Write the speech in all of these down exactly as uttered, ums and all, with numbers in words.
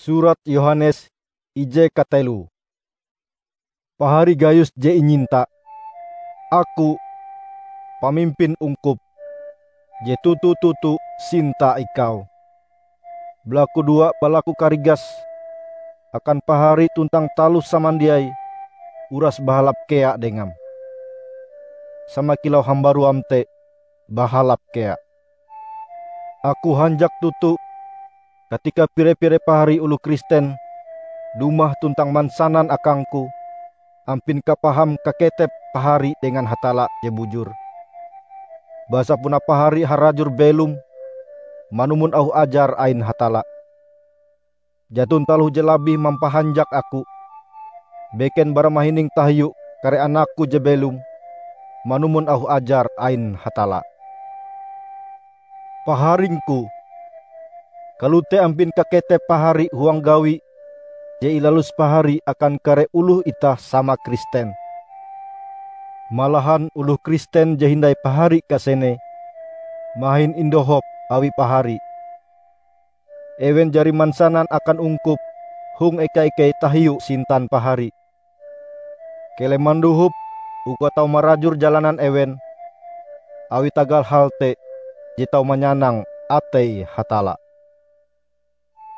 Surat Yohanes ije kateloe. Pahari Gayus je inyinta, aku, pamimpin ungkup, je toto-toto sinta ikau, balakudoa balaku karigas akan pahari tuntang taloh samandiai uras bahalap kea dengam, sama kilau hambaruam te bahalap kea. Aku hanjak toto katika pire-pire pahari oloh Kristen dumah tuntang mansanan akangku ampin kapaham kaketep pahari dengan Hatalla je bujur. Basa puna pahari harajur belom manumon auh ajar ain Hatalla. Jaton taloh je labih mampahanjak aku beken bara mahining tahiu kare anakku je belom manumon auh ajar ain Hatalla. Paharingku, kalote ampin kaketep pahari huang gawi je ilalus pahari akan kare oloh itah sama Kristen. Malahan oloh Kristen je hindai pahari kasene mahin indohop awi pahari. Ewen jari mansanan akan ungkup hong eka-ikei tahiu sintan pahari. Keleh mandohop uka tau marajur jalanan ewen, awi tagal hal te je tau manyanang atei Hatalla.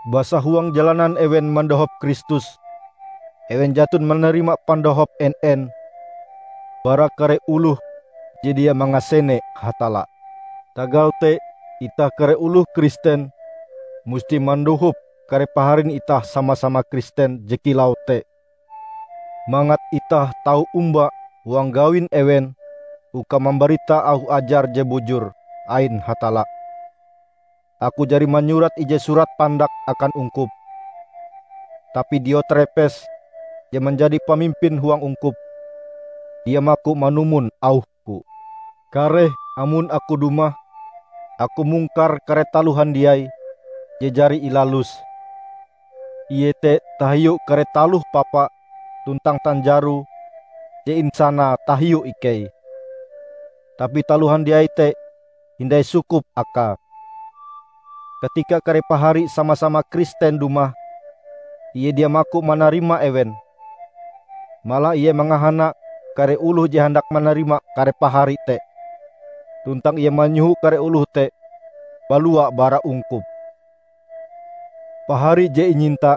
Basa huang jalanan ewen mandohop Kristus, ewen jaton manarima pandohop en-en bara kare oloh je dia mangasene Hatalla. Tagal te, itah kare oloh Kristen musti mandohop kare paharin itah sama-sama Kristen je kilau te, mangat itah tau omba huang gawin ewen uka mambarita auh ajar je bujur ain Hatalla. Aku jari manyurat ije surat pandak akan ungkup. Tapi Diotrepes, je manjadi pamimpin huang ungkup, dia maku manumon auhku. Kareh amon aku dumah, aku mungkar kare taloh handiai je jari ilalus, iete tahiu kare taloh papa tuntang tanjaro je insanae tahiu ikei. Tapi taloh handiai te hindai sukup akae. Katika kare pahari sama-sama Kristen dumah, ie dia maku manarima ewen. Malah ie mangahana kare oloh je handak manarima kare pahari te, tuntang ie manyoho kare oloh te balua bara ungkup. Pahari je inyinta,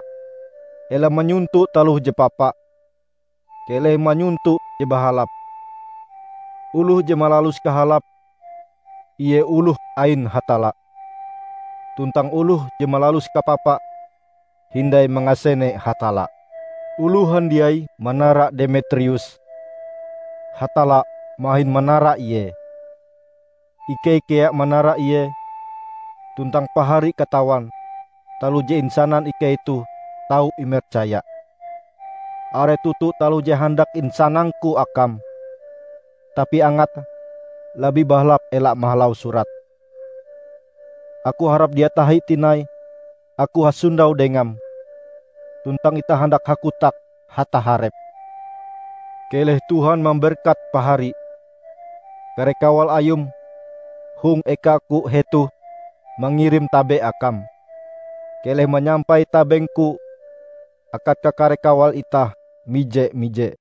ela manyonto taloh je papa, keleh manyonto je bahalap. Oloh je malalus kahalap, ie oloh ain Hatalla. Tuntang oloh je malalus kapapa, hindai mangasene Hatalla. Oloh handiai manara Demetrius, Hatalla mahin manara ie. Ikei kea manara ie, tuntang pahari katawan taloh je insanan ikei toh tau imercaya. Are toto taloh je handak insanangku akam, tapi angate, labih bahalap ela mahalau surat. Aku harap dia tahi tinai aku hasondau dengam, tuntang itah handak hakotak hataharep. Keleh Tuhan mamberkat pahari. Kare kawal Ayum hong ekaku hetoh mangirim tabe akam. Keleh manyampai tabengku akan kakare kawal itah mije-mije.